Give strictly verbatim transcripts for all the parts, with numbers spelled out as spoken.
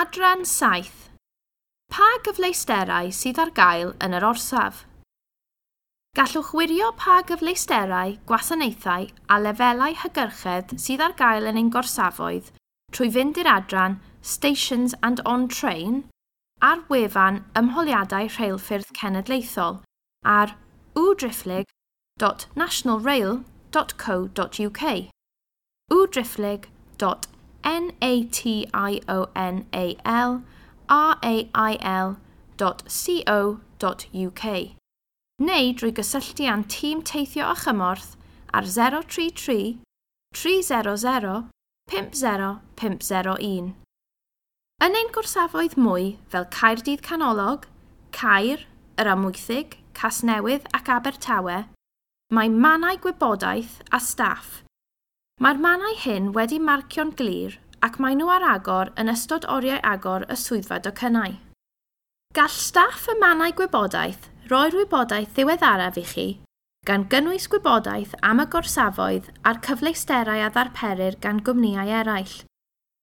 Adran saith. Pa gyfleusterau sydd ar gael yn yr orsaf? Gallwch wirio pa gyfleusterau, gwasanaethau a lefelau hygyrchedd sydd ar gael yn ein gorsafoedd trwy fynd i'r adran Stations and on Train ar wefan Ymholiadau Rheilffyrdd Cenedlaethol ar w driphlyg dot national rail dot co dot U K w driphlyg dot N A T I O N A L R A I L dot C O dot U K neu drwy gysylltu â'n tîm teithio a chymorth ar zero tri tri, tri zero zero, pump zero pump zero un. Yn ein gorsafoedd mwy fel Caerdydd Canolog, Caer, yr Amwythig, Casnewydd ac Abertawe, mae mannau gwybodaeth a staff. Mae'r mannau hyn wedi marcio'n glir ac maen nhw ar agor yn ystod oriau agor y swyddfa docynnau. Gall staff y mannau gwybodaeth roi'r wybodaeth ddiweddaraf i chi, gan gynnwys gwybodaeth am y gorsafoedd a'r cyfleusterau a ddarperir gan gwmnïau eraill,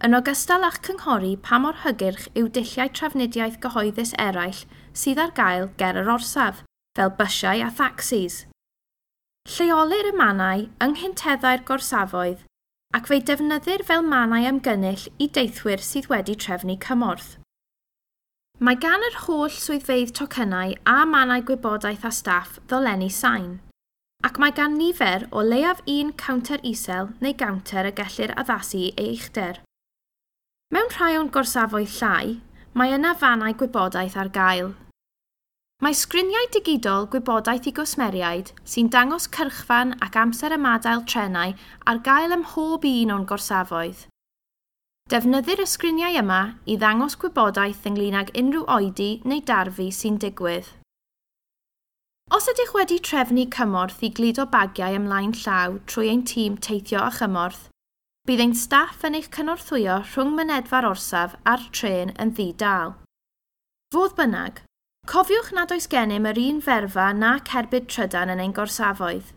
yn ogystal â'ch cynghori pa mor hygyrch yw dulliau trafnidiaeth gyhoeddus eraill sydd ar gael ger yr orsaf, fel bysiau a thacsis. Lleolir y mannau yng nghynteddau'r gorsafoedd ac fe'i defnyddir fel mannau ymgynnull i deithwyr sydd wedi trefnu cymorth. Mae gan yr holl swyddfeydd tocynnau a mannau gwybodaeth a staff ddolenni sain, ac mae gan nifer o leiaf un cownter isel neu gownter y gellir addasu ei uchder. Mewn rhai o'n gorsafoedd llai, mae yna fannau gwybodaeth ar gael. Mae sgriniau digidol gwybodaeth i gwsmeriaid sy'n dangos cyrchfan ac amser ymadael trenau ar gael ym mhob un o'n gorsafoedd. Defnyddir y sgriniau yma i ddangos gwybodaeth ynglŷn ag unrhyw oedi neu darfu sy'n digwydd. Os ydych wedi trefnu cymorth i gludo bagiau ymlaen llaw trwy ein tîm teithio a chymorth, bydd ein staff yn eich cynorthwyo rhwng mynedfa'r orsaf a'r trên yn ddi-dâl. Fodd bynnag, cofiwch nad oes gennym yr un ferfa na cerbyd trydan yn ein gorsafoedd.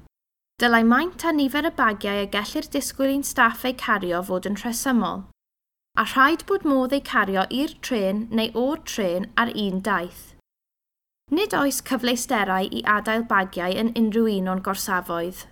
Dylai maint a nifer y bagiau y gellir disgwyl i'n staff eu cario fod yn rhesymol, a rhaid bod modd eu cario i'r trên neu o'r trên ar un daith. Nid oes cyfleusterau i adael bagiau yn unrhyw un o'n gorsafoedd.